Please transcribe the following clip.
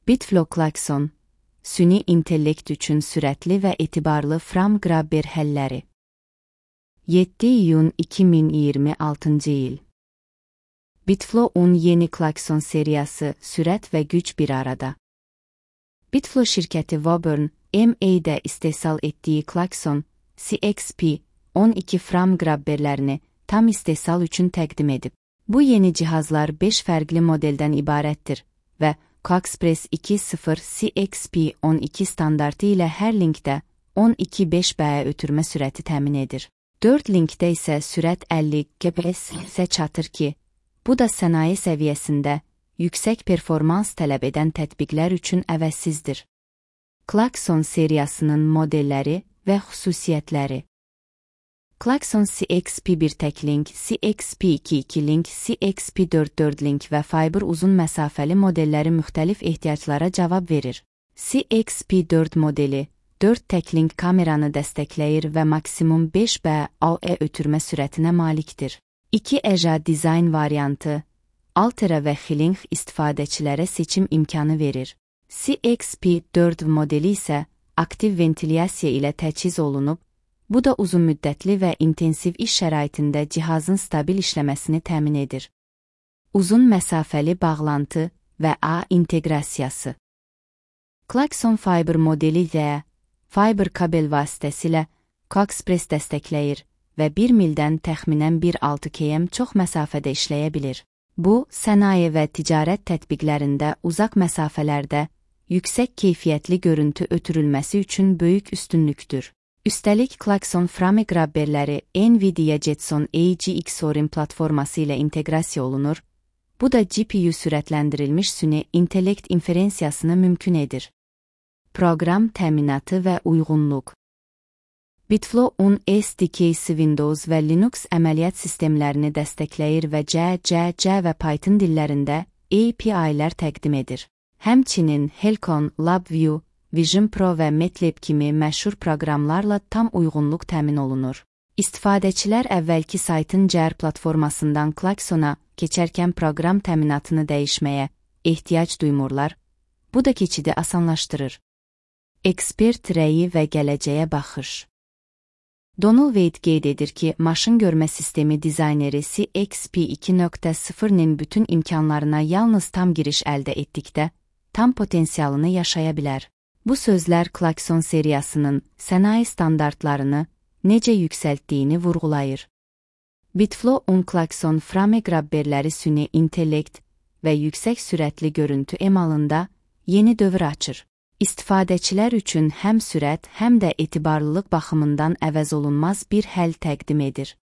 Bitflow klakson, süni intellekt üçün sürətli və etibarlı frame grabber həlləri. 7 iyun 2026 il. Bitflow'un yeni klakson seriyası sürət və güc bir arada. Bitflow şirkəti Woburn MA'də istehsal etdiyi klakson CXP-12 frame grabberlərini tam istehsal üçün təqdim edib. Bu yeni cihazlar 5 fərqli modeldən ibarətdir və Coxpress 2.0 CXP-12 standartı ilə hər linkdə 12.5B ötürmə sürəti təmin edir. 4 linkdə isə sürət 50 Gbps-ə çatır ki, bu da sənaye səviyyəsində yüksək performans tələb edən tətbiqlər üçün əvəzsizdir. Klakson seriyasının modelləri və xüsusiyyətləri. Klakson CXP1 tək link, CXP2 2 link, CXP4 4 link və Fiber uzun məsafəli modelləri müxtəlif ehtiyaclara cavab verir. CXP4 modeli 4 tək link kameranı dəstəkləyir və maksimum 5B-AE ötürmə sürətinə malikdir. 2 EJA dizayn variantı, Altera və Xilink istifadəçilərə seçim imkanı verir. CXP4 modeli isə aktiv ventilyasiya ilə təchiz olunub, bu da uzun müddətli və intensiv iş şəraitində cihazın stabil işləməsini təmin edir. Uzun məsafəli bağlantı və A inteqrasiyası. Klakson Fiber modeli də Fiber kabel vasitəsilə Coxpress dəstəkləyir və 1 mildən təxminən 1.6 km çox məsafədə işləyə bilir. Bu, sənaye və ticarət tətbiqlərində uzaq məsafələrdə yüksək keyfiyyətli görüntü ötürülməsi üçün böyük üstünlükdür. Üstəlik, klakson frame grabberləri NVIDIA Jetson AGX Orin platforması ilə inteqrasiya olunur, bu da GPU sürətləndirilmiş süni intellekt inferensiyasını mümkün edir. Proqram təminatı və uyğunluq. Bitflow'un SDK-si Windows və Linux əməliyyat sistemlərini dəstəkləyir və C və Python dillərində API-lər təqdim edir. Həmçinin Helcon, LabVIEW, Vision Pro və MATLAB kimi məşhur proqramlarla tam uyğunluq təmin olunur. İstifadəçilər əvvəlki saytın CR platformasından klaksona keçərkən proqram təminatını dəyişməyə ehtiyac duymurlar, bu da keçidi asanlaşdırır. Ekspert rəyi və gələcəyə baxış. Donald Wade qeyd edir ki, maşın görmə sistemi dizayneri CXP 2.0-nin bütün imkanlarına yalnız tam giriş əldə etdikdə, tam potensialını yaşaya bilər. Bu sözlər klakson seriyasının sənaye standartlarını necə yüksəltdiyini vurğulayır. Bitflow'un klakson frame grabberləri süni intellekt və yüksək sürətli görüntü emalında yeni dövr açır. İstifadəçilər üçün həm sürət, həm də etibarlılıq baxımından əvəzolunmaz bir həll təqdim edir.